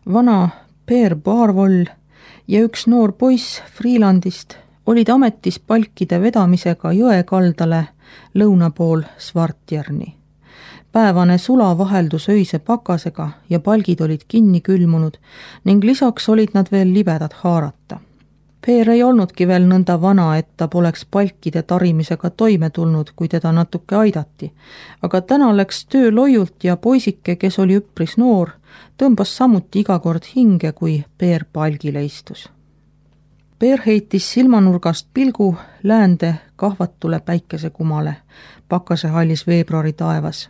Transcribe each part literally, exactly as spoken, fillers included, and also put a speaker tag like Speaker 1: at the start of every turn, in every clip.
Speaker 1: Vana Peer Barvoll ja üks noor poiss Freelandist olid ametis palkide vedamisega jõe kaldale lõuna pool Svartjerni. Päevane sula vaheldus öise pakasega ja palgid olid kinni külmunud ning lisaks olid nad veel libedad haarata. Peer ei olnudki veel nõnda vana, et ta poleks palkide tarimisega toime tulnud, kui teda natuke aidati, aga täna läks töö loiult ja poisike, kes oli üpris noor, tõmbas samuti iga kord hinge, kui Peer palgile istus. Peer heitis silmanurgast pilgu läände kahvatule päikesekumale pakasehallis veebruari taevas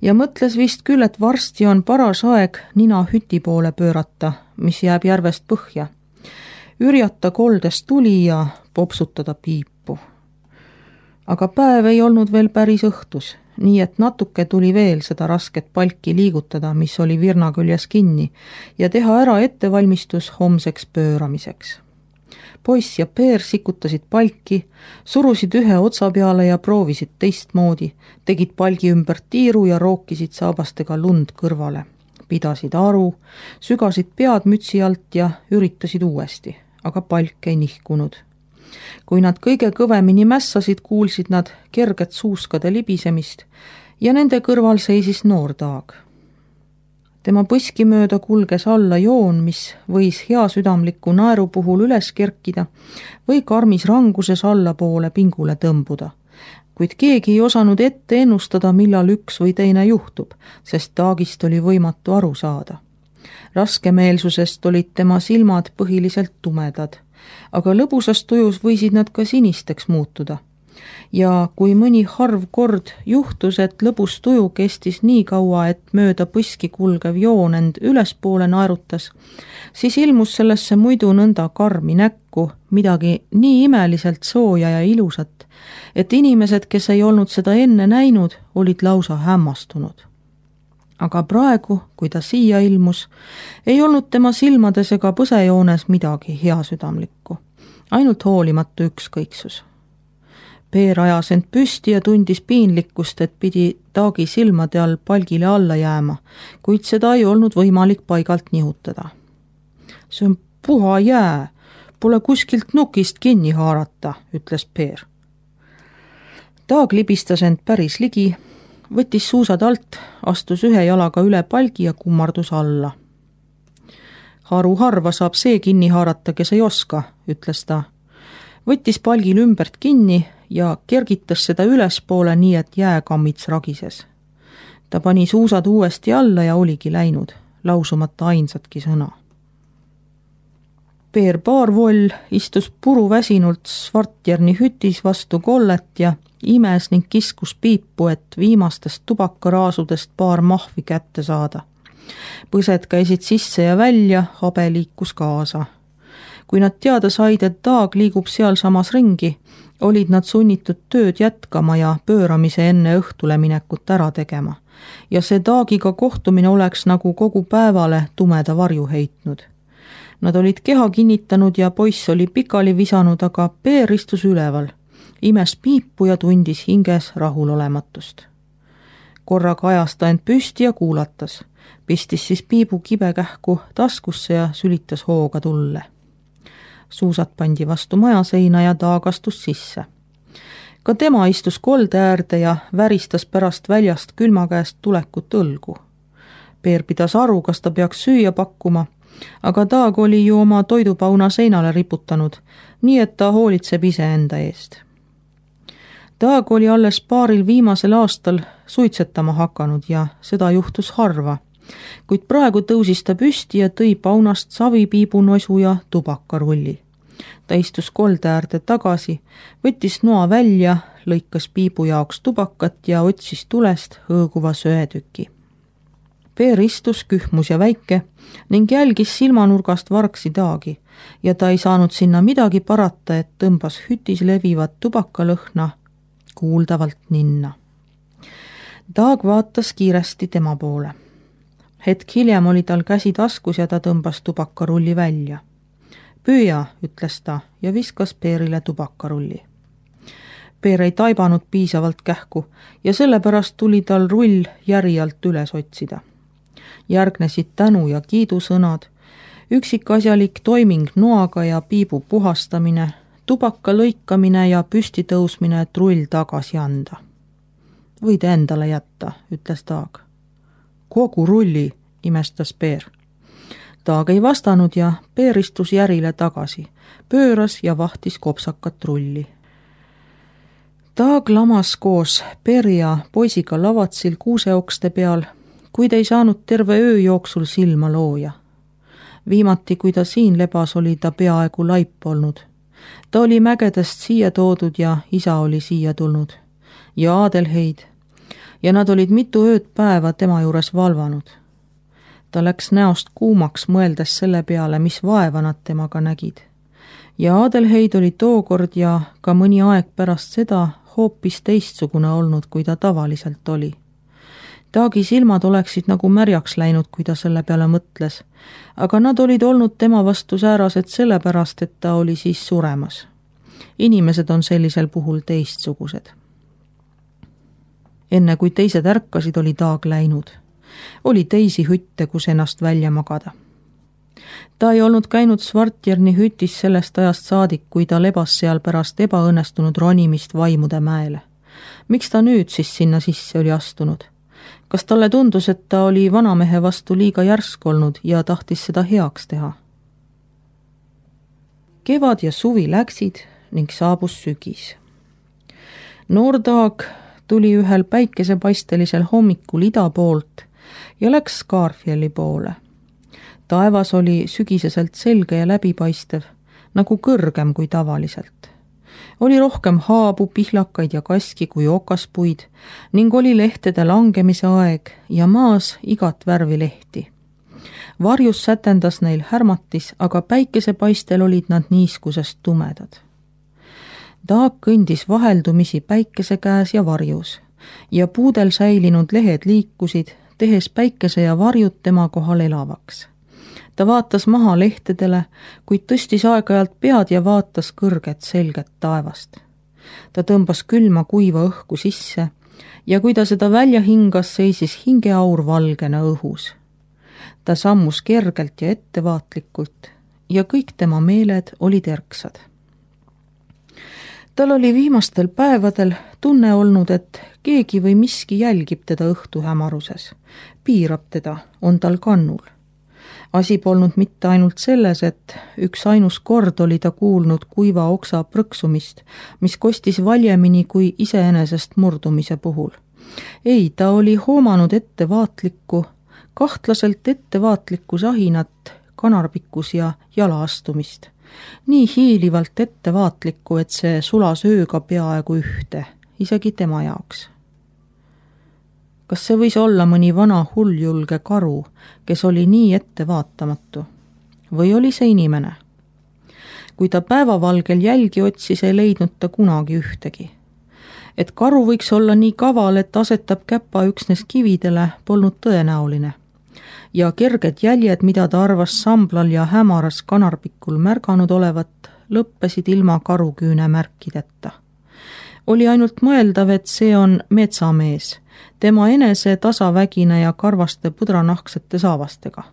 Speaker 1: ja mõtles vist küll, et varsti on paras aeg nina hüti poole pöörata, mis jääb järvest põhja, ürjata koldes tuli ja popsutada piipu. Aga päev ei olnud veel päris õhtus, nii et natuke tuli veel seda rasket palki liigutada, mis oli virna küljes kinni, ja teha ära ettevalmistus homseks pööramiseks. Poiss ja Peer sikutasid palki, surusid ühe otsa peale ja proovisid teistmoodi, tegid palgi ümber tiiru ja rookisid saabastega lund kõrvale. Pidasid aru, sügasid pead mütsi alt ja üritasid uuesti, aga palk ei nihkunud. Kui nad kõige kõvemini mässasid, kuulsid nad kerget suuskade libisemist ja nende kõrval seisis noor Taag. Tema põski mööda kulges alla joon, mis võis heasüdamliku naeru puhul üles kerkida või karmis ranguses allapoole pingule tõmbuda. Kuid keegi ei osanud ette ennustada, millal üks või teine juhtub, sest Taagist oli võimatu aru saada. Raskemeelsusest olid tema silmad põhiliselt tumedad, aga lõbusas tujus võisid nad ka sinisteks muutuda. Ja kui mõni harv kord juhtus, et lõbus tuju kestis nii kaua, et mööda põski kulgev joon end ülespoole naerutas, siis ilmus sellesse muidu nõnda karmi näkku midagi nii imeliselt sooja ja ilusat, et inimesed, kes ei olnud seda enne näinud, olid lausa hämmastunud. Aga praegu, kui ta siia ilmus, ei olnud tema silmades ega põsejoones midagi heasüdamlikku, ainult hoolimatu ükskõiksus. Peer ajas end püsti ja tundis piinlikkust, et pidi Taagi silmade all palgile alla jääma, kuid seda ei olnud võimalik paigalt nihutada. See on puha jää, pole kuskilt nukist kinni haarata, ütles Peer. Taag libistas end päris ligi, võttis suusad alt, astus ühe jalaga üle palgi ja kummardus alla. Haru harva saab see kinni haarata, kes ei oska, ütles ta. Võttis palgil ümbert kinni ja kergitas seda ülespoole nii, et jääkammits ragises. Ta pani suusad uuesti alla ja oligi läinud, lausumata ainsatki sõna. Peer Barvoll istus puruväsinult Svartjerni hütis vastu kollet ja imes ning kiskus piipu, et viimastest tubakaraasudest paar mahvi kätte saada. Põsed käisid sisse ja välja, habe liikus kaasa. Kui nad teada said, et Taag liigub seal samas ringi, olid nad sunnitud tööd jätkama ja pööramise enne õhtule minekut ära tegema. Ja see Taagiga kohtumine oleks nagu kogu päevale tumeda varju heitnud. Nad olid keha kinnitanud ja poiss oli pikali visanud, aga Peer istus üleval, imes piipu ja tundis hinges rahulolematust. Korraga ajas ta end püsti ja kuulatas, pistis siis piibu kibekähku taskusse ja sülitas hooga tulle. Suusad pandi vastu majaseina ja Taag astus sisse. Ka tema istus kolde äärde ja väristas pärast väljast külma käest tulekut õlgu. Peer pidas aru, kas ta peaks süüa pakkuma, aga Taag oli ju oma toidupauna seinale riputanud, nii et ta hoolitseb ise enda eest. Taag oli alles paaril viimasel aastal suitsetama hakanud ja seda juhtus harva, kuid praegu tõusis ta püsti ja tõi paunast savipiibunosu ja tubakarulli. Ta istus kolde äärde tagasi, võttis noa välja, lõikas piibu jaoks tubakat ja otsis tulest hõõguva söetüki. Peer istus kühmus ja väike ning jälgis silmanurgast vargsi Taagi ja ta ei saanud sinna midagi parata, et tõmbas hütis levivat tubakalõhna kuuldavalt ninna. Taag vaatas kiiresti tema poole. Hetk hiljem oli tal käsi taskus ja ta tõmbas tubakarulli välja. Püüa, ütles ta ja viskas Peerile tubakarulli. Peer ei taibanud piisavalt kähku ja sellepärast tuli tal rull järjalt üles otsida. Järgnesid tänu- ja kiidusõnad, üksikasjalik toiming noaga ja piibu puhastamine, tubaka lõikamine ja püsti tõusmine, et rull tagasi anda. Võid endale jätta, ütles Taag. Kogu rulli, imestas Peer. Taag ei vastanud ja Peer istus järile tagasi, pööras ja vahtis kopsakat rulli. Taag lamas koos Peeri ja poisiga lavatsil kuuseokste peal, kuid ei saanud terve öö jooksul silma looja. Viimati, kui ta siin lebas, oli ta peaaegu laip olnud. Ta oli mägedest siia toodud ja isa oli siia tulnud. Ja Adelheid. Ja nad olid mitu ööd päeva tema juures valvanud. Ta läks näost kuumaks, mõeldes selle peale, mis vaeva nad temaga nägid. Ja Adelheid oli tookord ja ka mõni aeg pärast seda hoopis teistsugune olnud, kui ta tavaliselt oli. Taagi silmad oleksid nagu märjaks läinud, kui ta selle peale mõtles, aga nad olid olnud tema vastu säärased sellepärast, et ta oli siis suremas. Inimesed on sellisel puhul teistsugused. Enne kui teised ärkasid, oli Taag läinud. Oli teisi hütte, kus ennast välja magada. Ta ei olnud käinud Svartjerni hütis sellest ajast saadik, kui ta lebas seal pärast ebaõnnestunud ronimist Vaimude mäele. Miks ta nüüd siis sinna sisse oli astunud? Kas talle tundus, et ta oli vanamehe vastu liiga järsk olnud ja tahtis seda heaks teha? Kevad ja suvi läksid ning saabus sügis. Noor Taag tuli ühel päikesepaistelisel hommikul ida poolt ja läks Skarfjelli poole. Taevas oli sügiseselt selge ja läbipaistev, nagu kõrgem kui tavaliselt. Oli rohkem haabu, pihlakaid ja kaski kui okaspuid ning oli lehtede langemise aeg ja maas igat värvi lehti. Varjus sätendas neil härmatis, aga päikesepaistel olid nad niiskusest tumedad. Taag kõndis vaheldumisi päikese käes ja varjus ja puudel säilinud lehed liikusid, tehes päikese ja varjud tema kohal elavaks. Ta vaatas maha lehtedele, kuid tõstis aeg-ajalt pead ja vaatas kõrget selget taevast. Ta tõmbas külma kuiva õhku sisse ja kui ta seda välja hingas, seisis hingeaur valgena õhus. Ta sammus kergelt ja ettevaatlikult ja kõik tema meeled olid erksad. Tal oli viimastel päevadel tunne olnud, et keegi või miski jälgib teda õhtu hämaruses, piirab teda, on tal kannul. Asi polnud mitte ainult selles, et üks ainus kord oli ta kuulnud kuiva oksa prõksumist, mis kostis valjemini kui iseenesest murdumise puhul. Ei, ta oli hoomanud ettevaatlikku, kahtlaselt ettevaatlikku sahinat, kanarpikkus ja jalaastumist. Nii hiilivalt ettevaatlikku, et see sulas ööga peaaegu ühte, isegi tema jaoks. Kas see võis olla mõni vana hulljulge karu, kes oli nii ettevaatamatu? Või oli see inimene? Kui ta päevavalgel jälgi otsis, ei leidnud ta kunagi ühtegi. Et karu võiks olla nii kaval, et asetab käpa üksnes kividele, polnud tõenäoline. Ja kerged jäljed, mida ta arvas samblal ja hämaras kanarpikul märganud olevat, lõppesid ilma karuküüne märkideta. Oli ainult mõeldav, et see on metsamees, tema enese tasavägine ja karvaste pudranahksete saavastega.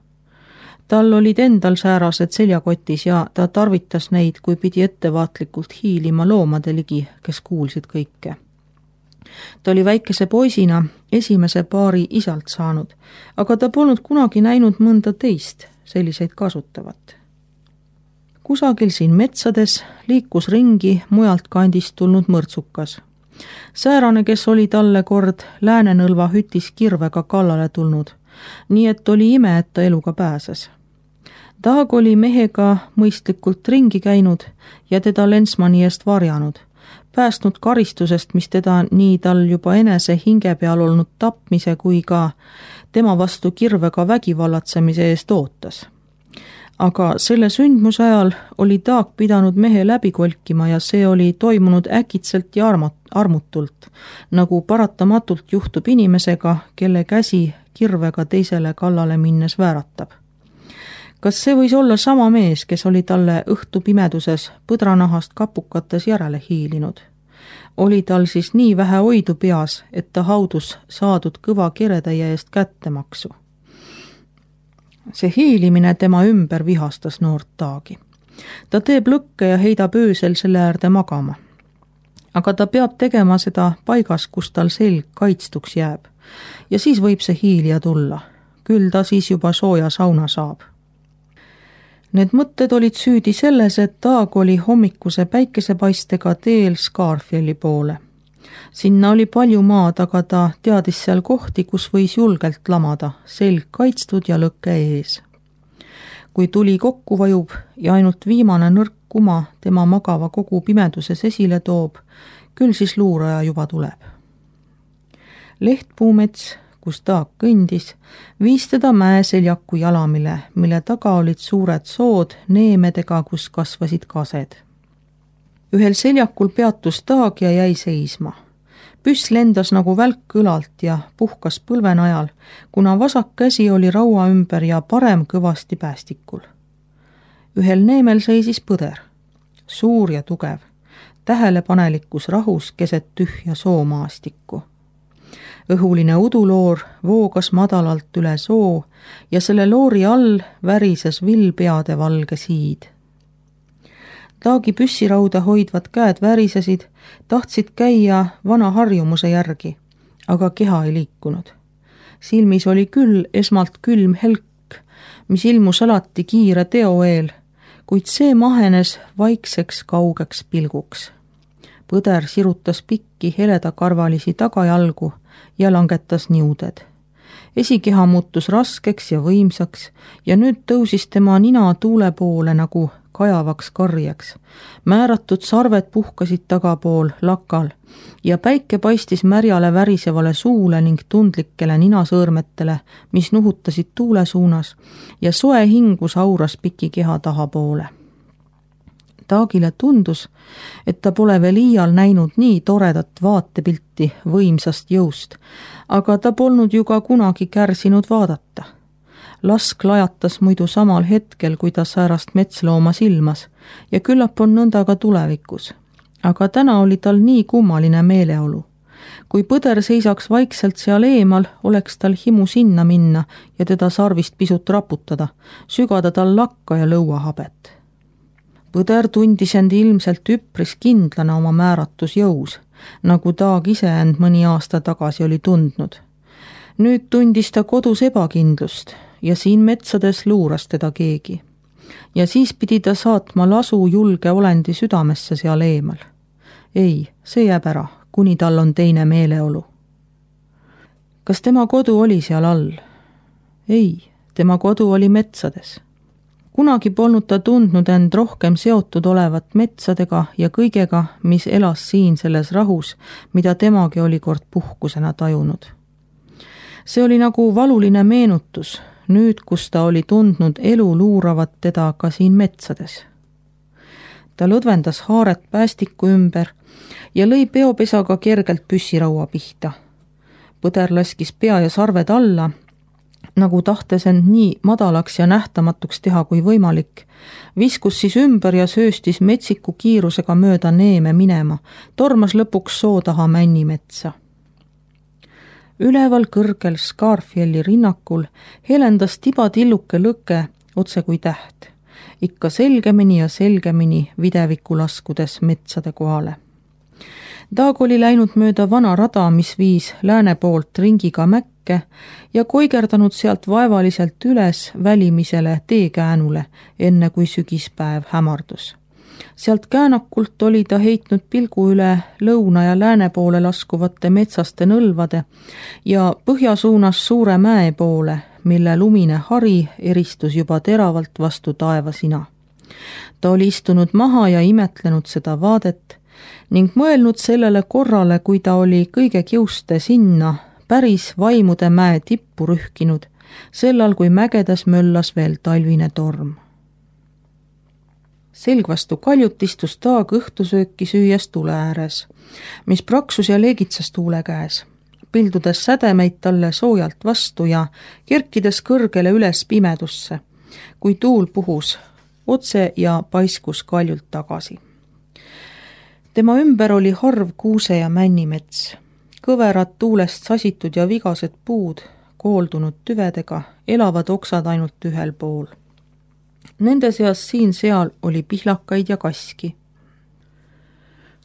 Speaker 1: Tal olid endal säärased seljakotis ja ta tarvitas neid, kui pidi ettevaatlikult hiilima loomade ligi, kes kuulsid kõike. Ta oli väikese poisina esimese paari isalt saanud, aga ta polnud kunagi näinud mõnda teist selliseid kasutavat. Kusagil siin metsades liikus ringi mujalt kandist tulnud mõrtsukas. Säärane, kes oli talle kord Läänenõlva hütis kirvega kallale tulnud, nii et oli ime, et ta eluga pääses. Taag oli mehega mõistlikult ringi käinud ja teda Lensmani eest varjanud, päästnud karistusest, mis teda nii tal juba enese hinge peal olnud tapmise kui ka tema vastu kirvega vägivallatsemise eest ootas. Aga selle sündmuse ajal oli Taag pidanud mehe läbi kolkima ja see oli toimunud äkitselt ja armutult, nagu paratamatult juhtub inimesega, kelle käsi kirvega teisele kallale minnes vääratab. Kas see võis olla sama mees, kes oli talle õhtu pimeduses põdranahast kapukates järele hiilinud? Oli tal siis nii vähe oidu peas, et ta haudus saadud kõva keretäie eest kättemaksu? see hiilimine tema ümber vihastas noort Taagi. Ta teeb lõkke ja heidab öösel selle äärde magama. Aga ta peab tegema seda paigas, kus tal selg kaitstuks jääb. Ja siis võib see hiilija tulla. Küll ta siis juba sooja sauna saab. Need mõtted olid süüdi selles, et Taag oli hommikuse päikesepaistega teel Scarfjelli poole. Sinna oli palju maad, aga ta teadis seal kohti, kus võis julgelt lamada, selg kaitstud ja lõkke ees. Kui tuli kokku vajub ja ainult viimane nõrk kuma tema magava kogu pimeduses esile toob, küll siis luuraja juba tuleb. Lehtpuumets, kus Taag kõndis, viis teda mäeseljaku jalamile, mille taga olid suured sood neemedega, kus kasvasid kased. Ühel seljakul peatus Taag ja jäi seisma. Püss lendas nagu välk kõlalt ja puhkas põlvenajal, kuna vasak käsi oli raua ümber ja parem kõvasti päästikul. Ühel neemel seisis põder, suur ja tugev, tähelepanelikus rahus keset tühja soomaastikku. Õhuline uduloor voogas madalalt üle soo ja selle loori all värises villpeade valge siid. Taagi püssirauda hoidvad käed värisesid, tahtsid käia vana harjumuse järgi, aga keha ei liikunud. Silmis oli küll esmalt külm helk, mis ilmus alati kiire teo eel, kuid see mahenes vaikseks kaugeks pilguks. Põder sirutas pikki heledakarvalisi tagajalgu ja langetas niuded. Esikeha muutus raskeks ja võimsaks ja nüüd tõusis tema nina tuule poole nagu kajavaks karjeks. Määratud sarved puhkasid tagapool lakal ja päike paistis märjale värisevale suule ning tundlikele ninasõõrmetele, mis nuhutasid tuule suunas ja soe hingus auras piki keha tahapoole. Taagile tundus, et ta pole veel iial näinud nii toredat vaatepilti võimsast jõust, aga ta polnud ju ka kunagi kärsinud vaadata. Lask lajatas muidu samal hetkel, kui ta säärast metslooma silmas ja küllap on nõnda ka tulevikus. Aga täna oli tal nii kummaline meeleolu. Kui põder seisaks vaikselt seal eemal, oleks tal himu sinna minna ja teda sarvist pisut raputada, sügada tal lakka ja lõuahabet. Põder tundis end ilmselt üpris kindlana oma määratusjõus, nagu Taag ise end mõni aasta tagasi oli tundnud. Nüüd tundis ta kodus ebakindlust ja siin metsades luuras teda keegi. Ja siis pidi ta saatma lasu julge olendi südamesse seal eemal. Ei, see jääb ära, kuni tal on teine meeleolu. Kas tema kodu oli seal all? Ei, tema kodu oli metsades. Kunagi polnud ta tundnud end rohkem seotud olevat metsadega ja kõigega, mis elas siin selles rahus, mida temagi oli kord puhkusena tajunud. See oli nagu valuline meenutus, nüüd kus ta oli tundnud elu luuravat teda ka siin metsades. Ta lõdvendas haaret päästiku ümber ja lõi peopesaga kergelt püssiraua pihta. Põder laskis pea ja sarved alla, nagu tahtes end nii madalaks ja nähtamatuks teha kui võimalik, viskus siis ümber ja sööstis metsiku kiirusega mööda neeme minema, tormas lõpuks soo taha männimetsa. Üleval kõrgel Scarfjelli rinnakul helendas tibatilluke lõke otse kui täht, ikka selgemini ja selgemini videviku laskudes metsade kohale. Taag oli läinud mööda vana rada, mis viis lääne poolt ringiga mäkke ja koigerdanud sealt vaevaliselt üles välimisele teekäänule, enne kui sügispäev hämardus. Sealt käänakult oli ta heitnud pilgu üle lõuna ja lääne poole laskuvate metsaste nõlvade ja põhjasuunas suure mäe poole, mille lumine hari eristus juba teravalt vastu taevasina. Ta oli istunud maha ja imetlenud seda vaadet ning mõelnud sellele korrale, kui ta oli kõige kiuste sinna päris vaimude mäe tippu rühkinud, sellal kui mägedas möllas veel talvine torm. Selg vastu kaljut istus Taag õhtusööki süües tule ääres, mis praksus ja leegitsas tuule käes, pildudes sädemeid talle soojalt vastu ja kerkides kõrgele üles pimedusse, kui tuul puhus otse ja paiskus kaljult tagasi. Tema ümber oli harv kuuse- ja männimets, kõverad tuulest sasitud ja vigased puud, kooldunud tüvedega, elavad oksad ainult ühel pool. Nende seas siin-seal oli pihlakaid ja kaski.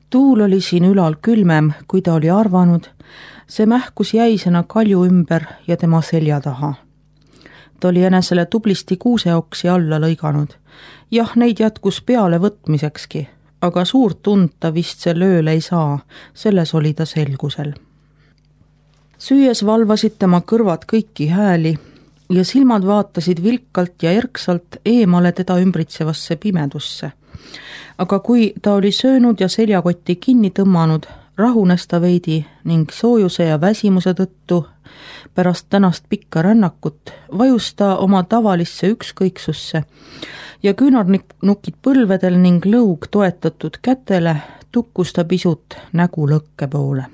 Speaker 1: Tuul oli siin ülal külmem, kui ta oli arvanud, see mähkus jäisena kalju ümber ja tema selja taha. Ta oli enesele tublisti kuuseoksi alla lõiganud. Jah, neid jätkus peale võtmisekski, aga suurt tund ta vist see lööle ei saa, selles oli ta selgusel. Süües valvasid tema kõrvad kõiki hääli ja silmad vaatasid vilkalt ja erksalt eemale teda ümbritsevasse pimedusse. Aga kui ta oli söönud ja seljakotti kinni tõmmanud, rahunes ta veidi ning soojuse ja väsimuse tõttu pärast tänast pikka rännakut vajus ta oma tavalisse ükskõiksusse ja küünarnukid põlvedel ning lõug toetatud kätele tukkus ta pisut nägu lõkke poole.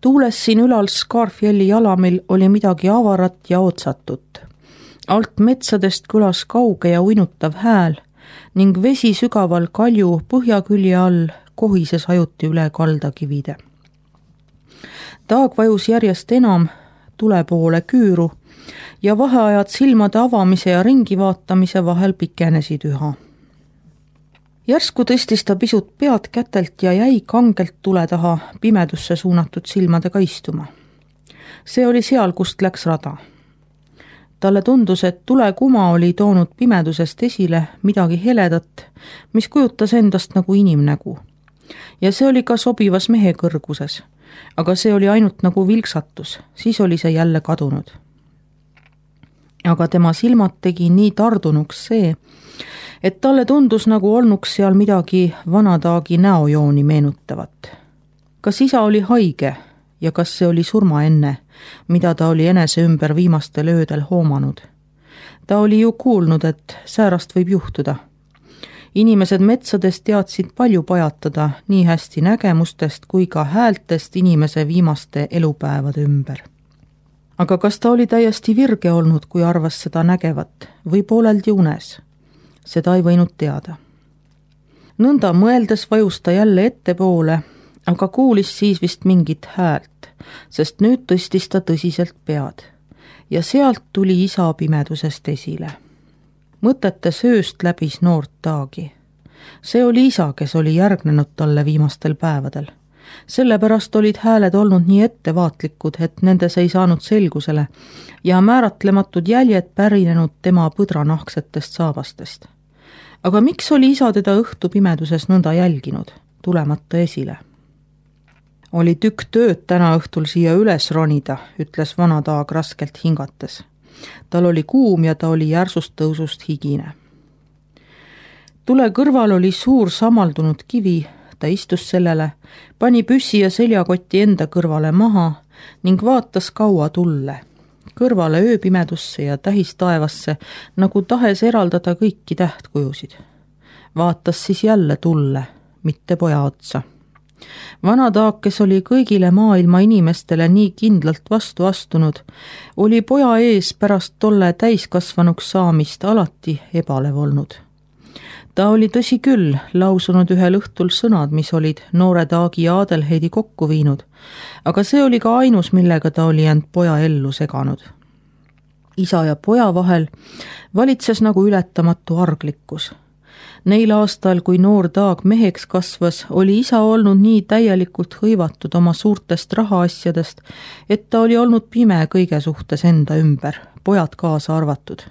Speaker 1: Tuules siin ülal Scarfjelli jalamil oli midagi avarat ja otsatut. Alt metsadest kõlas kauge ja uinutav hääl ning vesi sügaval kalju põhjakülje all kohises ajuti üle kaldakivide. Taag vajus järjest enam tule poole küüru ja vaheajad silmade avamise ja ringi vaatamise vahel pikenesid üha. Järsku tõstis ta pisut pead kätelt ja jäi kangelt tule taha pimedusse suunatud silmadega istuma. See oli seal, kust läks rada. Talle tundus, et tulekuma oli toonud pimedusest esile midagi heledat, mis kujutas endast nagu inimnägu. Ja see oli ka sobivas mehe kõrguses, aga see oli ainult nagu vilksatus, siis oli see jälle kadunud. Aga tema silmad tegi nii tardunuks see, et talle tundus nagu olnuks seal midagi vanataagi näojooni meenutavat. Kas isa oli haige ja kas see oli surma enne, mida ta oli enese ümber viimastel öödel hoomanud? Ta oli ju kuulnud, et säärast võib juhtuda. Inimesed metsades teadsid palju pajatada nii hästi nägemustest kui ka häältest inimese viimaste elupäevade ümber. Aga kas ta oli täiesti virge olnud, kui arvas seda nägevat või pooleldi unes? Seda ei võinud teada. Nõnda mõeldes vajus ta jälle ettepoole, aga kuulis siis vist mingit häält, sest nüüd tõstis ta tõsiselt pead ja sealt tuli isa pimedusest esile. Mõtete sööst läbis noort taagi. See oli isa, kes oli järgnenud talle viimastel päevadel. Sellepärast olid hääled olnud nii ettevaatlikud, et nendes ei saanud selgusele ja määratlematud jäljed pärinenud tema põdranahksetest saabastest. Aga miks oli isa teda õhtu pimeduses nõnda jälginud, tulemata esile? Oli tükk tööd täna õhtul siia üles ronida, ütles vana taag raskelt hingates. Tal oli kuum ja ta oli järsust tõusust higine. Tule kõrval oli suur samaldunud kivi, ta istus sellele, pani püssi ja seljakoti enda kõrvale maha ning vaatas kaua tulle, kõrvale ööpimedusse ja tähistaevasse, nagu tahes eraldada kõiki tähtkujusid. Vaatas siis jälle tulle, mitte poja otsa. Vana taag, kes oli kõigile maailma inimestele nii kindlalt vastu astunud, oli poja ees pärast tolle täiskasvanuks saamist alati ebalev olnud. Ta oli tõsi küll lausunud ühel õhtul sõnad, mis olid noore taagi ja Adelheidi kokku viinud, aga see oli ka ainus, millega ta oli end poja ellu seganud. Isa ja poja vahel valitses nagu ületamatu arglikkus. Neil aastal, kui noor taag meheks kasvas, oli isa olnud nii täielikult hõivatud oma suurtest rahaasjadest, et ta oli olnud pime kõige suhtes enda ümber, pojad kaasa arvatud.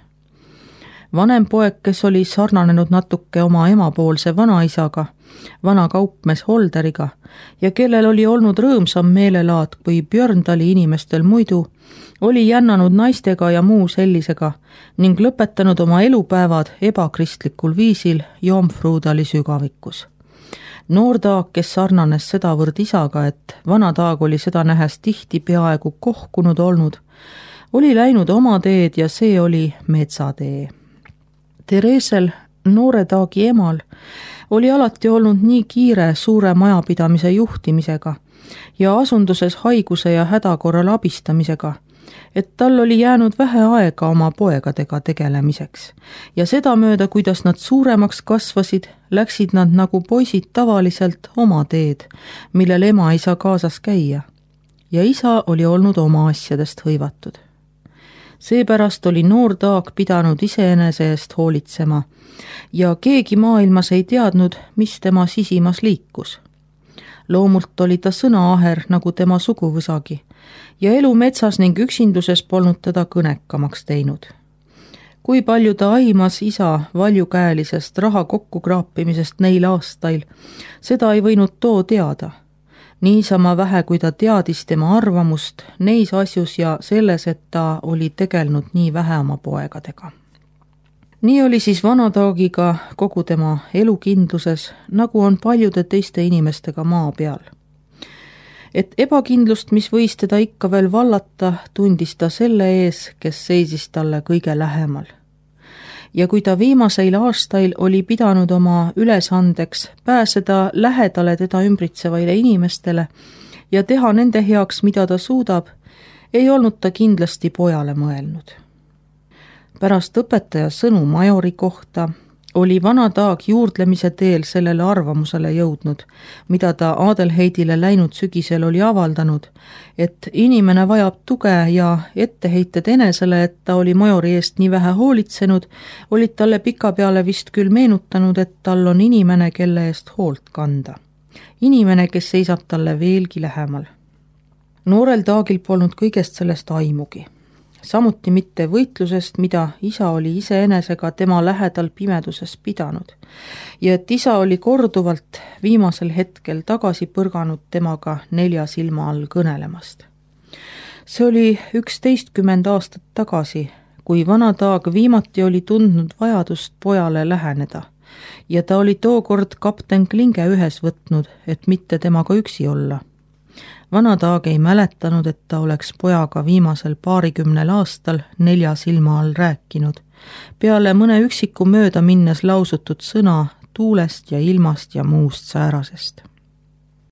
Speaker 1: Vanem poeg, kes oli sarnanenud natuke oma emapoolse vanaisaga, vana kaupmees Holderiga ja kellel oli olnud rõõmsam meelelaad kui Björndali inimestel muidu, oli jännanud naistega ja muu sellisega ning lõpetanud oma elupäevad ebakristlikul viisil Jomfruudali sügavikus. Noor taag, kes sarnanes sedavõrd isaga, et vana taag oli seda nähes tihti peaaegu kohkunud olnud, oli läinud oma teed ja see oli metsatee. Teresel, noore taagi emal, oli alati olnud nii kiire suure majapidamise juhtimisega ja asunduses haiguse ja häda korral abistamisega, et tal oli jäänud vähe aega oma poegadega tegelemiseks ja sedamööda, kuidas nad suuremaks kasvasid, läksid nad nagu poisid tavaliselt oma teed, millel ema ei saa kaasas käia ja isa oli olnud oma asjadest hõivatud. Seepärast oli noor Taag pidanud iseenese eest hoolitsema ja keegi maailmas ei teadnud, mis tema sisimas liikus. Loomult oli ta sõnaaher nagu tema suguvõsagi ja elu metsas ning üksinduses polnud teda kõnekamaks teinud. Kui palju ta aimas isa valjukäelisest raha kokkukraapimisest neil aastail, seda ei võinud too teada. Niisama vähe, kui ta teadis tema arvamust neis asjus ja selles, et ta oli tegelnud nii vähe oma poegadega. Nii oli siis vana Taagiga kogu tema elukindluses, nagu on paljude teiste inimestega maa peal. Et ebakindlust, mis võis teda ikka veel vallata, tundis ta selle ees, kes seisis talle kõige lähemal. Ja kui ta viimaseil aastail oli pidanud oma ülesandeks pääseda lähedale teda ümbritsevaile inimestele ja teha nende heaks, mida ta suudab, ei olnud ta kindlasti pojale mõelnud. Pärast õpetaja sõnu majori kohta oli vana Taag juurdlemise teel sellele arvamusele jõudnud, mida ta Adelheidile läinud sügisel oli avaldanud, et inimene vajab tuge ja etteheited enesele, et ta oli majori eest nii vähe hoolitsenud, olid talle pikapeale vist küll meenutanud, et tal on inimene, kelle eest hoolt kanda. Inimene, kes seisab talle veelgi lähemal. Noorel Taagil polnud kõigest sellest aimugi. Samuti mitte võitlusest, mida isa oli iseenesega tema lähedal pimeduses pidanud ja et isa oli korduvalt viimasel hetkel tagasi põrganud temaga nelja silma all kõnelemast. See oli üksteistkümmend aastat tagasi, kui vana Taag viimati oli tundnud vajadust pojale läheneda ja ta oli tookord kapten Klinge ühes võtnud, et mitte temaga üksi olla. Vana Taag ei mäletanud, et ta oleks pojaga viimasel paarikümnel aastal nelja silma all rääkinud, peale mõne üksiku mööda minnes lausutud sõna tuulest ja ilmast ja muust säärasest.